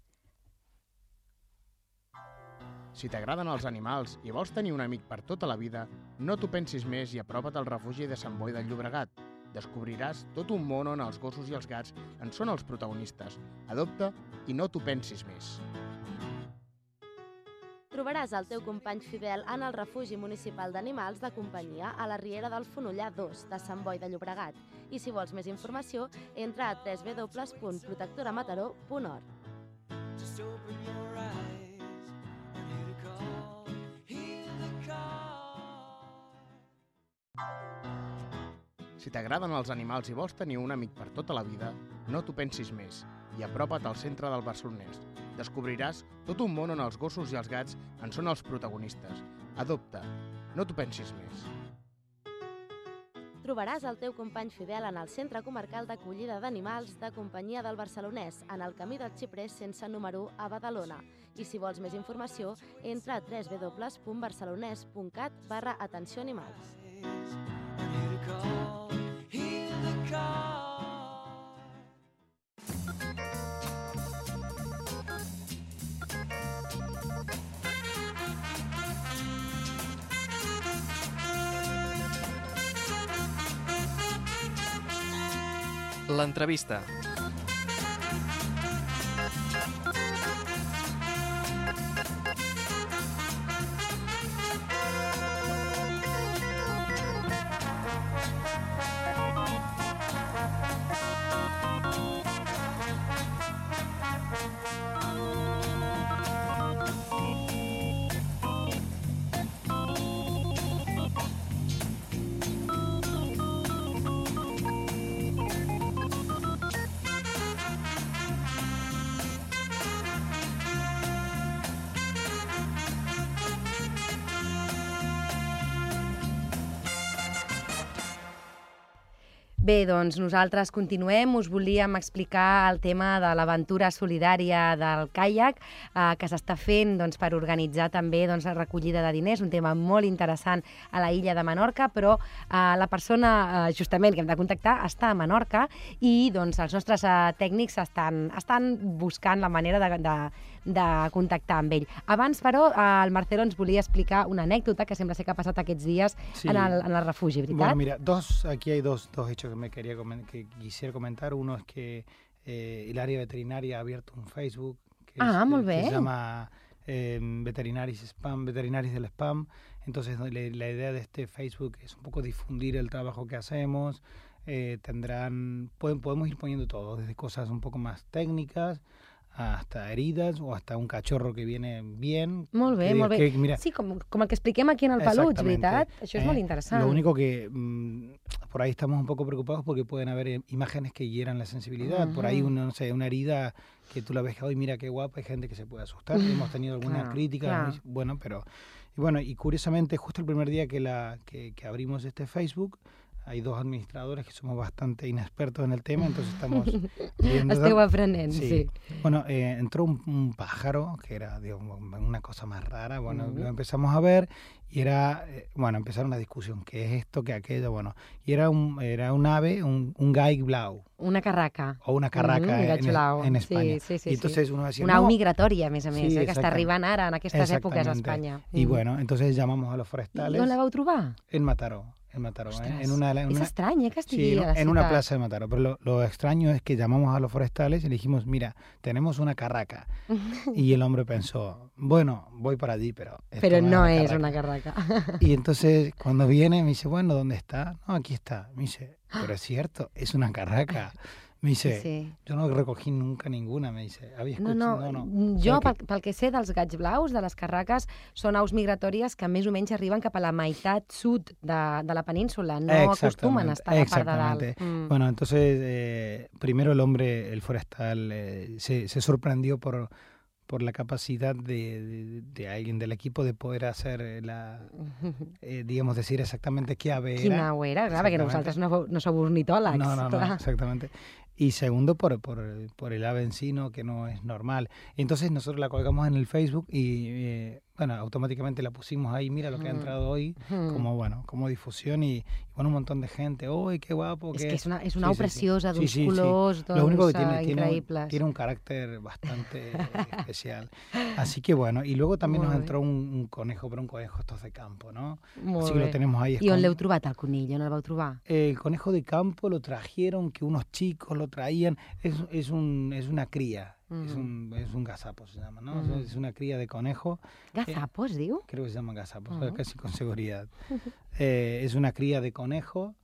Si t'agraden els animals i vols tenir un amic per tota la vida, no t'ho pensis més i apropa't al refugi de Sant Boi del Llobregat. Descobriràs tot un món on els gossos i els gats en són els protagonistes. Adopta i no t'ho pensis més. Trobaràs el teu company fidel en el refugi municipal d'animals de companyia a la Riera del Fonollar dos de Sant Boi de Llobregat. I si vols més informació, entra a w w w punt protectora mataró punt org. Si t'agraden els animals i vols tenir un amic per tota la vida, no t'ho pensis més i apropa't al centre del Barcelonès. Descobriràs tot un món on els gossos i els gats en són els protagonistes. Adopta, no t'ho pensis més. Trobaràs el teu company fidel en el Centre Comarcal d'Acollida d'Animals de Companyia del Barcelonès, en el camí del Xiprer sense número a Badalona. I si vols més informació, entra a w w w punt barcelonès punt cat barra atenció animals. L'entrevista. Bé, doncs nosaltres continuem. Us volíem explicar el tema de l'aventura solidària del caiac eh, que s'està fent doncs, per organitzar també doncs, la recollida de diners, un tema molt interessant a la illa de Menorca, però eh, la persona eh, justament que hem de contactar està a Menorca i doncs, els nostres eh, tècnics estan, estan buscant la manera de, de, de contactar amb ell. Abans, però, eh, el Marcelo ens volia explicar una anècdota que sembla ser que ha passat aquests dies Sí. en, el, en el refugi, ¿veritat? Bueno, mira, dos, aquí hay dos, dos hechos que me quería comen- que quisiera comentar. Uno es que eh, el área veterinaria ha abierto un Facebook que, Ah, es- molt que bé. se llama eh, Veterinaris Spam, Veterinaris del Spam. Entonces la, la idea de este Facebook es un poco difundir el trabajo que hacemos. Eh, tendrán, pueden, podemos ir poniendo todo, desde cosas un poco más técnicas hasta heridas o hasta un cachorro que viene bien. Molt bé, que diga molt bé. que, mira, Sí, com, com el que expliquem aquí en el Peluig, Exactamente. veritat? Això és Eh, molt interessant. Lo único que mm, por ahí estamos un poco preocupados porque pueden haber eh, imágenes que hieran la sensibilidad. Por ahí, Ujú. una, no sé, una herida que tú la ves que hoy mira qué guapa, hay gente que se puede asustar. Hemos tenido alguna Claro, crítica, claro. muy- bueno, pero y bueno, y curiosamente justo el primer día que la que, que abrimos este Facebook, hay dos administradores que somos bastante inexpertos en el tema, entonces estamos viendo Esteu aprenent, sí. Sí. Bueno, eh, entró un, un pájaro que era digamos, una cosa más rara. Bueno, Ujú. lo empezamos a ver y era, eh, bueno, empezaron una discusión, ¿qué es esto, qué aquello? Bueno, y era un, era un ave, un, un gai blau Una carraca. o una carraca Mm, un en, gatxolau. en Sí, España. sí, sí, y entonces uno decía, Una au no, migratòria, a més a més, Sí, eh, que està exactament. arribant ara, en aquestes èpoques, a Exactamente. Espanya. Y Mm. bueno, entonces llamamos a los I forestales on la vau trobar? en Mataró, en Mataró, ¿eh? Ostres, en una, en és una- estrany, eh, que estigui Sí, en, a la en una ciutat. plaza de Mataró. Pero lo, lo extraño es que llamamos a los forestales y le dijimos, mira, tenemos una carraca. Y el hombre pensó, bueno, voy para allí, pero... esto Però no es és carraca". una carraca. Y entonces cuando viene me dice, bueno, ¿dónde está? No, aquí está. Me dice, pero es cierto, es una carraca. Me dice, Sí. yo no recogí nunca ninguna, me dice. Había No, escuchado, no, no, no. jo, O sea pel, que- pel que sé dels gats blaus, de les carraques, són aus migratòries que més o menys arriben cap a la meitat sud de, de la península, no acostumen a estar a la part de dalt. Exactamente. Mm. Bueno, entonces, eh, primero el hombre, el forestal, eh, se, se sorprendió por, por la capacidad de, de, de alguien del equipo de poder hacer eh, la, eh, digamos, decir exactamente qué ave era. Quina au era, clar, perquè Exactamente. vosaltres no, vau- no sou ornitòlegs. No, no, no, clar. exactamente. Y segundo, por, por, por el ave en sí, ¿no? Que no es normal. Entonces nosotros la colgamos en el Facebook y, eh, bueno, automáticamente la pusimos ahí, mira lo que ha Mm. entrado hoy, Mm. como, bueno, como difusión y, y bueno, un montón de gente, ¡uy, qué guapo! És qué-". que és una, és Sí, una au sí, sí. preciosa, Sí, d'uns sí, sí. colors doncs, Lo único que eh, tiene, tiene, un, increïbles. tiene un carácter bastante especial. Así que bueno, y luego también Molt nos bé. entró un, un conejo, pero un conejo estos de campo, ¿no? Molt Así que bé. lo tenemos ahí I on escondido. l'heu trobat, el conill? On el vau trobar? El conejo de campo lo trajeron, que unos chicos lo traían, es, es, un, es una cría, es, Ujú. un, es un gazapo se llama, ¿no? Ujú. Es una cría de conejo, Gazapo, es diu? creo que se llama gazapo, Ujú. casi con seguridad. Eh, es una cría de conejo,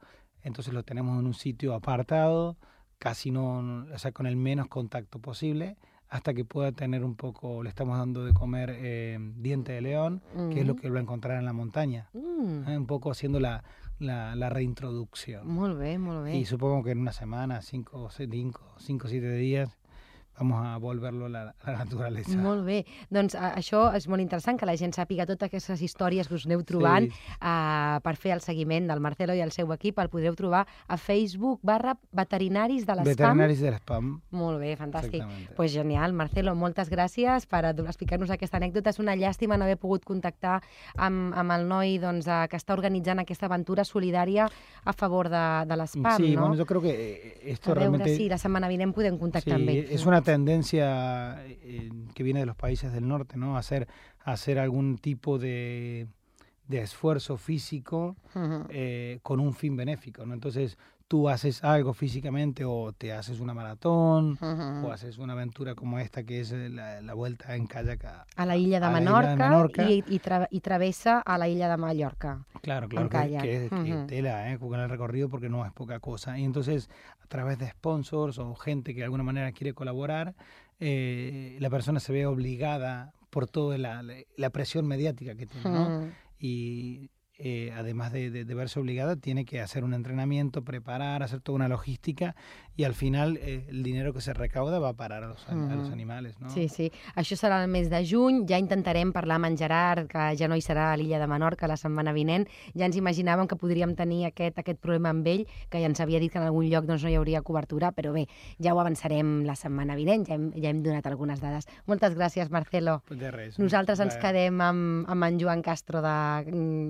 entonces lo tenemos en un sitio apartado, casi no, o sea, con el menos contacto posible, hasta que pueda tener un poco, le estamos dando de comer eh, diente de león, que es lo Mhm. que va a encontrar en la montaña, Mm. ¿eh? Un poco haciendo la, la, la reintroducción. Molt bé, molt bé. Y supongo que en una semana, cinco o se- cinco, cinco o siete días, vamos a volverlo a la, a la naturaleza. Molt bé. Doncs a, això és molt interessant, que la gent sàpiga totes aquestes històries que us aneu trobant Sí. uh, per fer el seguiment del Marcelo i el seu equip. El podreu trobar a Facebook barra veterinaris de l'espam. Veterinaris de l'espam. Molt bé, fantàstic. Exactamente. Pues genial, Marcelo, moltes gràcies per explicar-nos aquesta anècdota. És una llàstima no haver pogut contactar amb, amb el noi doncs, eh, que està organitzant aquesta aventura solidària a favor de, de l'espam, Sí, no? bueno, yo creo que esto a veure realmente... si la setmana vinent podem contactar Sí, amb ell. es una tendencia eh, que viene de los países del norte, ¿no? Hacer, hacer algún tipo de, de esfuerzo físico Uh-huh. eh, con un fin benéfico, ¿no? Entonces tú haces algo físicamente o te haces una maratón Uh-huh. o haces una aventura como esta que es la, la vuelta en kayak a, A la illa de a la isla Menorca, de Menorca. I, i, tra i travessa a la illa de Mallorca. Claro, claro, en que, kayak. que es que Ujú. tela, ¿eh? Con el recorrido porque no es poca cosa. Y entonces, a través de sponsors o gente que de alguna manera quiere colaborar, eh, la persona se ve obligada por toda la, la, la presión mediática que tiene, ¿no? Mm. Y eh, además de, de, de verse obligada, tiene que hacer un entrenamiento, preparar, hacer toda una logística y al final eh, el dinero que se recauda va a parar a los, a los animales, ¿no? Sí, sí. Això serà el mes de juny. Ja intentarem parlar amb en Gerard, que ja no hi serà a l'illa de Menorca la setmana vinent. Ja ens imaginàvem que podríem tenir aquest, aquest problema amb ell, que ja ens havia dit que en algun lloc doncs, no hi hauria cobertura, però bé, ja ho avançarem la setmana vinent, ja hem, ja hem donat algunes dades. Moltes gràcies, Marcelo. De res. Nosaltres ens Va. quedem amb, amb en Joan Castro, de,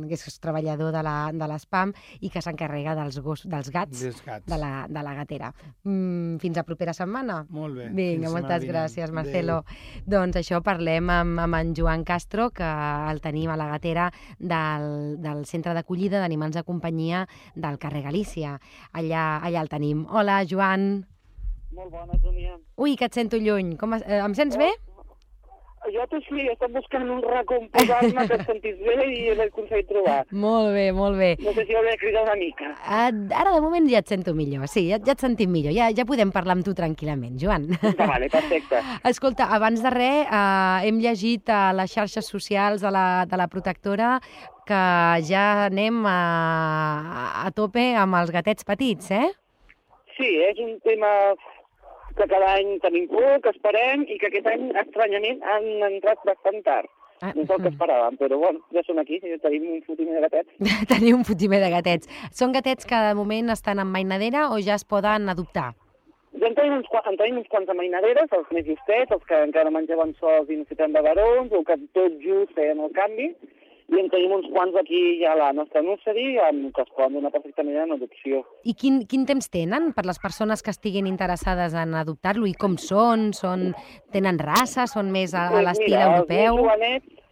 que és treballador de la- de l'espam i que s'encarrega dels, gos, dels gats Dels gats. de la, de la gatera. Mm, fins a propera setmana. Molt bé. Vinga, Fins moltes setmana vinent. gràcies, Marcelo. Doncs això, parlem amb, amb en Joan Castro, que el tenim a la gatera del, del centre d'acollida d'animals de companyia del carrer Galícia. Allà, allà el tenim. Hola, Joan. Molt bona, Sonia. Ui, que et sento lluny. Com, es- eh, em sents bé? Jo tu sí, he estat buscant un racó on posar-me que et sentis bé i l'he aconseguit trobar. Molt bé, molt bé. No sé si hauré de cridar una mica. Ah, ara, de moment, ja et sento millor. Sí, ja, ja et sentim millor. Ja, ja podem parlar amb tu tranquil·lament, Joan. Vale, perfecte. Escolta, abans de res, eh, hem llegit a les xarxes socials de la, de la protectora que ja anem a, a tope amb els gatets petits, eh? Sí, és un tema que cada any tenim por, que esperem, i que aquest any, estranyament, han entrat bastant tard. Ah, No és el que esperàvem, però bueno, ja són aquí, ja tenim un fotimer de gatets. Tenir un fotimer de gatets. Són gatets que de moment estan en mainadera o ja es poden adoptar? Ja en tenim uns, qua- en tenim uns quants de mainaderes, els més justets, els que encara menjaven sols i necessiten de barons, o que tot just feien el canvi, i en tenim uns quants aquí ja a la nostra nursery, amb que es poden donar perfectament en adopció. I quin, quin temps tenen per les persones que estiguin interessades en adoptar-lo? I com són? són? Tenen raça? Són més a, a Pues l'estil mira, europeu? Els més jovenets,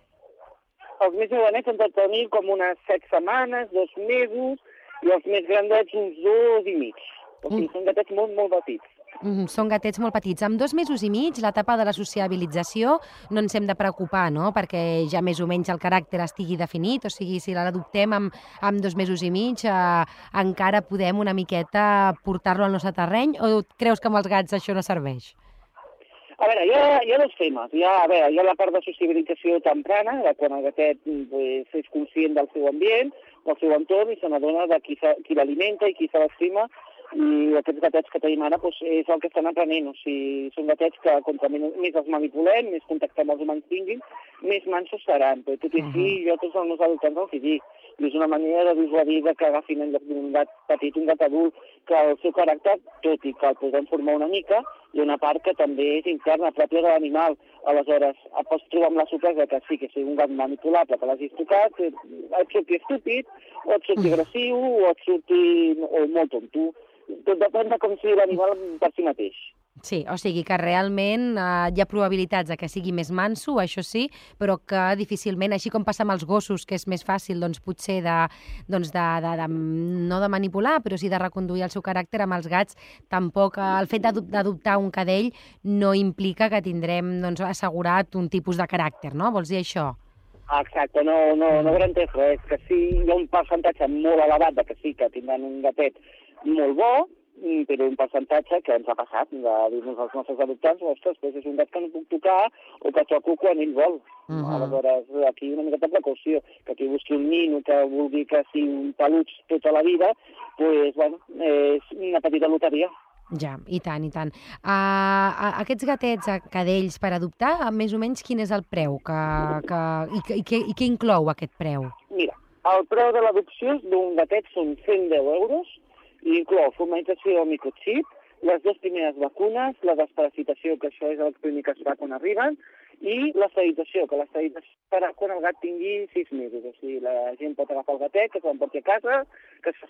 els més jovenets han de tenir com unes set setmanes, dos mesos, i els més grandets uns dos i mig. O sigui, Mm. són gatets molt, molt petits. Mm, són gatets molt petits. Amb dos mesos i mig, l'etapa de la sociabilització, no ens hem de preocupar, no?, perquè ja més o menys el caràcter estigui definit, o sigui, si l'adoptem amb, amb dos mesos i mig, eh, encara podem una miqueta portar-lo al nostre terreny, o creus que amb els gats això no serveix? A veure, hi ha, hi ha dos temes. Hi ha, a veure, hi ha la part de sociabilització temprana, de quan el gatet pues, és conscient del seu ambient, del seu entorn, i se n'adona de qui, se- qui l'alimenta i qui se l'estima, i aquests gatets que tenim ara pues, és el que estan aprenent. O sigui, són gatets que contra més més els manipulem, més contacte amb els humans tinguin, més mansos seran. Però tot i així, jo tots els meus adoptants els hi dic. I és una manera de dissuadir de que agafin en lloc d'un gat petit, un gat adult, que el seu caràcter, tot i que el podem formar una mica, hi ha una part que també és interna, pròpia de l'animal. Aleshores, et pots trobar amb la sorpresa que sí, que sigui un gat manipulable, que l'hagis tocat, eh, et surti estúpid, o et surti agressiu, o et surti o molt tonto. Tot depèn de com sigui l'animal per si mateix. Sí, o sigui que realment eh, hi ha probabilitats de que sigui més manso, això sí, però que difícilment, així com passa amb els gossos, que és més fàcil, doncs potser de, doncs de, de, de, no de manipular, però sí de reconduir el seu caràcter, amb els gats tampoc, eh, el fet d'adop- d'adoptar un cadell no implica que tindrem doncs, assegurat un tipus de caràcter, no? Vols dir això? Exacte, no, no, no garanteix res. Que sí, hi ha un percentatge molt elevat de que sí que tindran un gatet molt bo, mm, però un percentatge que ens ha passat de dir-nos als nostres adoptants, ostres, doncs és un gat que no puc tocar o que toco quan ell vol. Mhm. Aleshores, aquí una miqueta de precaució, que aquí busqui un nino que vulgui que sigui un peluig tota la vida, doncs, bueno, és una petita loteria. Ja, i tant, i tant. Uh, aquests gatets, cadells per adoptar, més o menys quin és el preu que, que, i, i, què, i què inclou aquest preu? Mira, el preu de l'adopció d'un gatet són cent deu euros i inclou formalització o microchip, les dues primeres vacunes, la desparasitació, que això és el primer que es fa quan arriben, i l'esterilització, que l'esterilització farà quan el gat tingui sis mesos. O sigui, la gent pot agafar el gatet, que se'n porti a casa, que es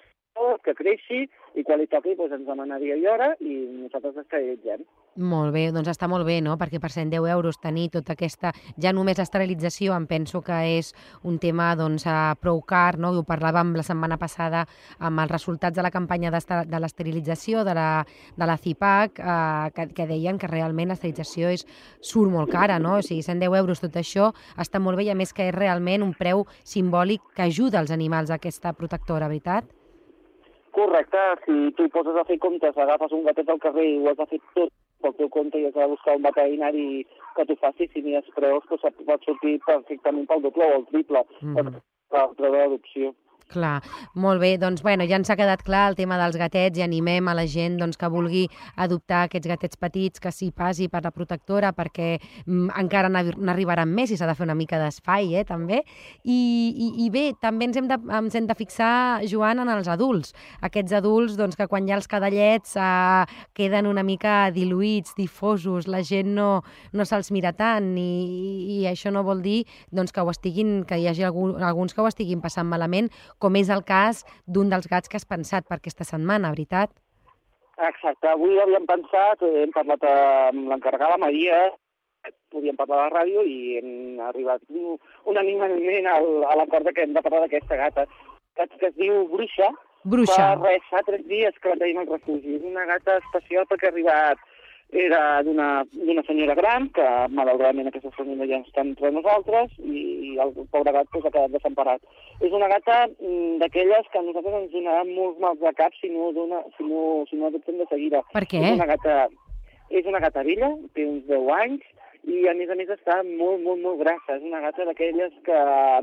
que creixi, i quan li toqui doncs ens demana dia i hora i nosaltres esterilitzem. Molt bé, doncs està molt bé, no? Perquè per cent deu euros tenir tota aquesta... Ja només l'esterilització em penso que és un tema doncs, prou car, no? Ho parlàvem la setmana passada amb els resultats de la campanya de l'esterilització de la, de la CIPAC, eh, que, que deien que realment l'esterilització és, surt molt cara, no? O sigui, cent deu euros tot això està molt bé i a més que és realment un preu simbòlic que ajuda els animals a aquesta protectora, veritat? Correcte, si tu hi poses a fer comptes, agafes un gatet al carrer i ho has de fer tot pel teu compte i has de buscar un veterinari que t'ho faci, si mires preus, doncs pot sortir perfectament pel doble o el triple mm-hmm. per preu d'adopció. Clar, molt bé. Doncs bueno, ja ens ha quedat clar el tema dels gatets i animem a la gent doncs, que vulgui adoptar aquests gatets petits, que s'hi passi per la protectora, perquè mm, encara n'arribaran més i s'ha de fer una mica d'espai, eh, també. I, i, I bé, també ens hem, de, ens hem de fixar, Joan, en els adults. Aquests adults doncs, que quan hi ha els cadallets eh, queden una mica diluïts, difosos, la gent no, no se'ls mira tant i, i això no vol dir doncs, que, ho estiguin, que hi hagi algun, alguns que ho estiguin passant malament, com és el cas d'un dels gats que has pensat per aquesta setmana, veritat? Exacte. Avui havíem pensat, hem parlat amb l'encarregada Maria, podíem parlar a la ràdio i hem arribat unànimement a l'acord que hem de parlar d'aquesta gata, que es diu Bruixa. Bruixa. Fa res, fa tres dies que la tenim al refugi. És una gata especial perquè ha arribat, era d'una senyora gran, que malauradament aquesta senyora ja està entre nosaltres, i el pobre gat pues, ha quedat desemparat. És una gata d'aquelles que a nosaltres ens donarà molts mals de cap si no, dona, si no, si no adoptem de seguida. Per què? És una gata, és una gata vella, té uns deu anys, i a més a més està molt, molt, molt grassa. És una gata d'aquelles que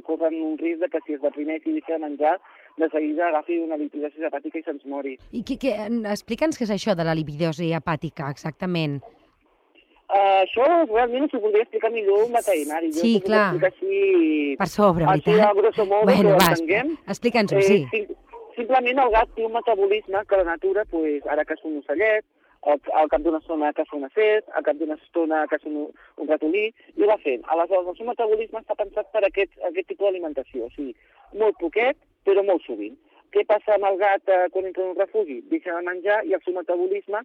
corren un risc de que si es deprimeix i deixa de menjar, de seguida agafi una lipidosi hepàtica i se'ns mori. I que, que, explica'ns què és això de la lipidosi hepàtica, exactament. Uh, això realment s'ho podria explicar millor un veterinari. Sí, jo clar. Així, per sobre, així veritat? A grosso modo, bueno, va, entenguem. Explica'ns-ho, sí. Eh, sim, simplement el gat té un metabolisme que la natura, pues, ara que és un ocellet, al, al cap d'una estona que és una set, al cap d'una estona que és un, un ratolí, i ho va fent. Aleshores, el seu metabolisme està pensat per aquest, aquest tipus d'alimentació, o sigui, molt poquet, però molt sovint. Què passa amb el gat eh, quan entra en un refugi? Deixa de menjar i el seu metabolisme,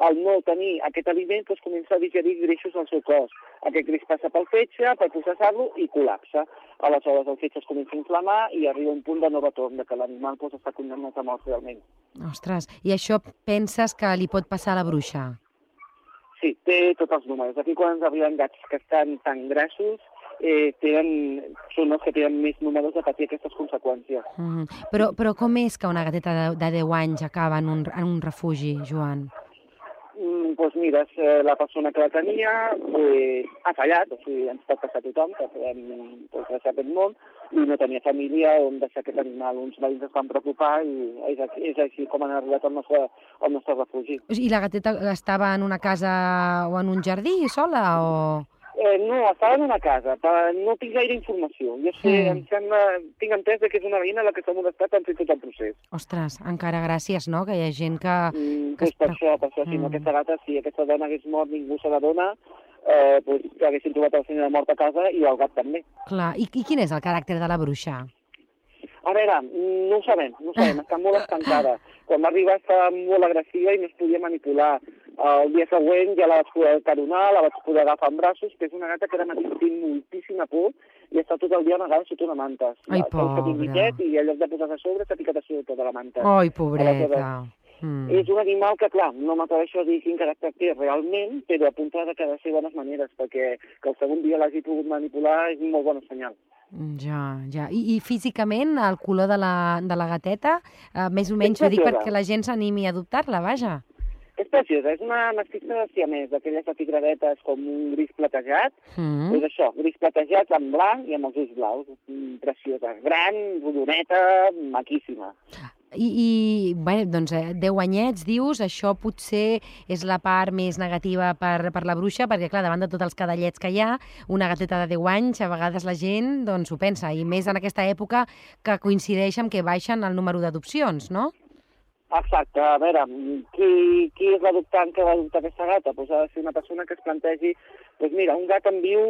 al no tenir aquest aliment, doncs comença a digerir greixos al seu cos. Aquest greix passa pel fetge, per processar-lo i col·lapsa. Aleshores el fetge es comença a inflamar i arriba un punt de no retorn, de que l'animal doncs, està condemnat a mort realment. Ostres, i això penses que li pot passar a la bruixa? Sí, té tots els números. Aquí quan ens arriben gats que estan tan grassos, eh, tenen, són els que tenen més números de patir aquestes conseqüències. Mm, però, però com és que una gateta de, de deu anys acaba en un, en un refugi, Joan? Doncs pues mira, la persona que la tenia pues, ha fallat, o sigui, ens pot passar a tothom, que podem pues, deixar aquest món, i no tenia família on deixar aquest animal. Uns veïns es van preocupar i és, és així com han arribat al nostre, al nostre refugi. I la gateta estava en una casa o en un jardí sola o...? Eh, no, estava en una casa, no tinc gaire informació. Jo sé, mm. em sembla, tinc entès que és una veïna la que s'ha molestat en fer tot el procés. Ostres, encara gràcies, no?, que hi ha gent que... Mm, que pues per això, per això, si no, aquesta gata, si aquesta dona hagués mort, ningú se la dona, eh, pues, que haguessin trobat la senyora mort a casa i el gat també. Clar, i, i quin és el caràcter de la bruixa? A veure, no ho sabem, no ho sabem, està molt estancada. Quan va arribar estava molt agressiva i no es podia manipular. El dia següent ja la vaig poder caronar, la vaig poder agafar en braços, que és una gata que ara mateix té moltíssima por i està tot el dia amagada sota una manta. Ai, pobra. I en lloc de posar-se a sobre s'ha picat a sobre tota la manta. Ai, pobreta. Mm. És un animal que, clar, no m'atreveixo a dir quin caràcter té realment, però apunta que ha de ser bones maneres, perquè que el segon dia l'hagi pogut manipular és un molt bon senyal. Ja, ja. I, i físicament, el color de la, de la gateta, eh, més o menys ho dic perquè la gent s'animi a adoptar-la, vaja. És preciosa, és una mestissa de siamès, d'aquelles de tigradetes com un gris platejat. Mm. És això, gris platejat en blanc i amb els ulls blaus. Preciosa, gran, rodoneta, maquíssima. I, i bé, doncs, deu anyets, dius, això potser és la part més negativa per, per la bruixa, perquè, clar, davant de tots els cadallets que hi ha, una gateta de deu anys, a vegades la gent doncs, ho pensa, i més en aquesta època que coincideix amb que baixen el número d'adopcions, no? Exacte, a veure, qui, qui és l'adoptant que va adoptar aquesta gata? Pues ha de ser una persona que es plantegi, doncs mira, un gat em viu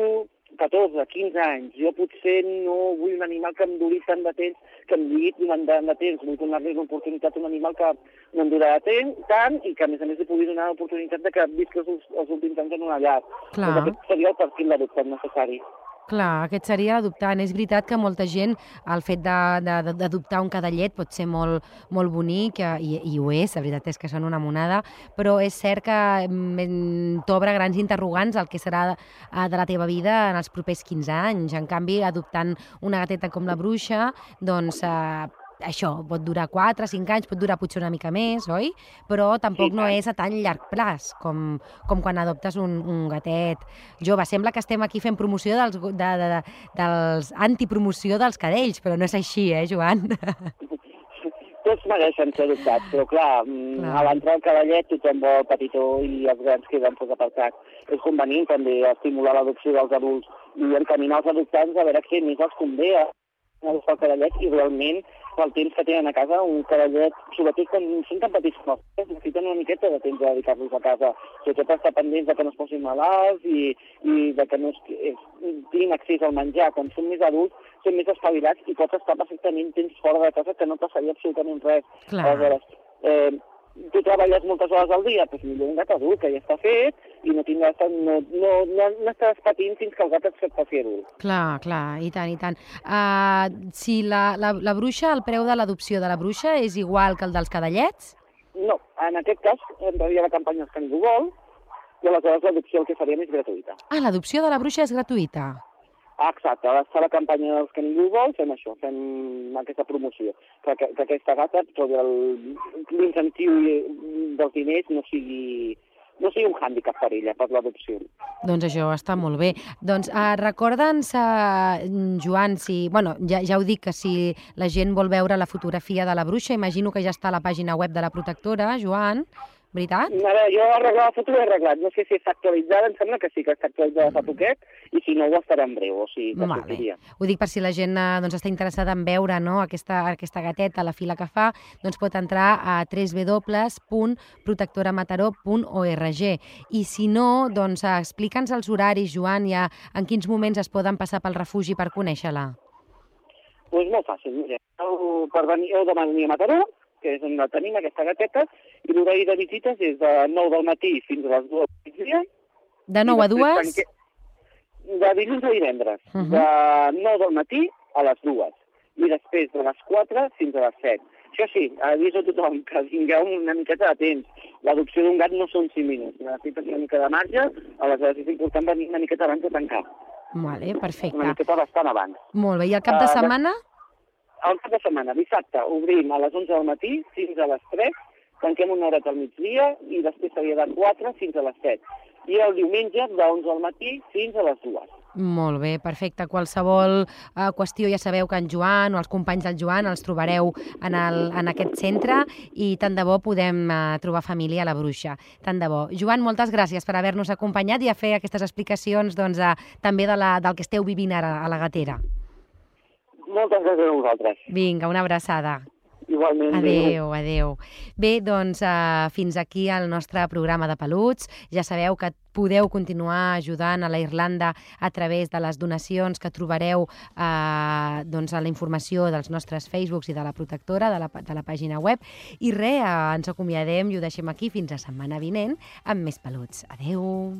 catorze, quinze anys, jo potser no vull un animal que em duri tant de temps, que em lligui durant tant de temps, vull donar-li l'oportunitat a un animal que no em durarà tant i que a més a més li pugui donar l'oportunitat de que visqui els, els últims anys en una llar. Clar. Doncs aquest seria el perfil d'adoptant necessari. Clar, aquest seria l'adoptant. És veritat que molta gent, el fet d'adoptar un cadallet pot ser molt, molt bonic, i, i ho és, la veritat és que són una monada, però és cert que t'obre grans interrogants el que serà de la teva vida en els propers quinze anys. En canvi, adoptant una gateta com la bruixa, doncs eh, això pot durar quatre, cinc anys, pot durar potser una mica més, oi? Però tampoc sí, no és a tan llarg plaç com, com quan adoptes un, un gatet jove. Sembla que estem aquí fent promoció dels, de, de, de, dels antipromoció dels cadells, però no és així, eh, Joan? Tots mereixen ser adoptats, però clar, clar. A l'entrar al cadellet tothom vol petitó i els grans queden poc apartats. És convenient també estimular l'adopció dels adults i encaminar els adoptants a veure què més els convé a agafar el cadellet i realment pel temps que tenen a casa un cadellet, sobretot quan són tan petits com els necessiten una miqueta de temps de dedicar-los a casa, sobretot estar pendents de que no es posin malalts i, i de que no es, es, tinguin accés al menjar. Quan són més adults són més espavilats i pots estar perfectament temps fora de casa que no passaria absolutament res. Clar. Aleshores, eh, tu treballes moltes hores al dia, doncs millor un gat adult que ja està fet i no tindràs, no, no, no, no estàs patint fins que el gat et faci adult. Clar, clar, i tant, i tant. Uh, si la, la, la bruixa, el preu de l'adopció de la bruixa és igual que el dels cadallets? No, en aquest cas entraria la campanya Els que ningú vol i aleshores l'adopció el que faríem és gratuïta. Ah, l'adopció de la bruixa és gratuïta? Exacte, a la campanya dels que ningú vol fem això, fem aquesta promoció, que, que, que aquesta gata, l'incentiu dels diners no sigui, no sigui un hàndicap per ella, per l'adopció. Doncs això està molt bé. Doncs uh, recorda'ns, uh, Joan, si, bueno, ja, ja ho dic, que si la gent vol veure la fotografia de la bruixa, imagino que ja està a la pàgina web de la protectora, Joan, veritat? A veure, jo arreglar la foto l'he arreglat, no sé si està actualitzada, em sembla que sí que està actualitzada fa poquet, i si no ho estarà en breu, o sigui que vale. Sortiria. Ho dic per si la gent doncs, està interessada en veure, no, aquesta, aquesta gateta, la fila que fa, doncs pot entrar a w w w punt protectora mataró punt org. I si no, doncs explica'ns els horaris, Joan, ja en quins moments es poden passar pel refugi per conèixer-la. Doncs pues molt fàcil, mira, per venir, heu de venir a Mataró, que és on la tenim, aquesta gateta, i l'horari de visites és de nou del matí fins a les dues del migdia. De nou a dues? Tanque... De dilluns a divendres. Uh -huh. De nou del matí a les dues. I després de les quatre fins a les set. Això sí, aviso a tothom que tingueu una miqueta de temps. L'adopció d'un gat no són cinc minuts. Necessites una mica de marge, aleshores és important venir una miqueta abans de tancar. Vale, perfecte. Una miqueta bastant abans. Molt bé, i el cap de setmana? Uh, el cap de setmana, dissabte, obrim a les onze del matí fins a les tres, tanquem una horeta al migdia i després seria de quatre fins a les set. I el diumenge de onze del matí fins a les dues. Molt bé, perfecte. Qualsevol uh, qüestió ja sabeu que en Joan o els companys del Joan els trobareu en, el, en aquest centre i tant de bo podem uh, trobar família a la bruixa. Tant de bo. Joan, moltes gràcies per haver-nos acompanyat i a fer aquestes explicacions doncs, uh, també de la, del que esteu vivint ara a la gatera. Moltes gràcies a vosaltres. Vinga, una abraçada. Igualment. Adéu, adéu. Bé, doncs uh, fins aquí el nostre programa de peluts. Ja sabeu que podeu continuar ajudant a la Irlanda a través de les donacions que trobareu eh, doncs a la informació dels nostres Facebooks i de la protectora, de la, de la pàgina web. I res, eh, ens acomiadem i ho deixem aquí fins a setmana vinent amb més peluts. Adéu!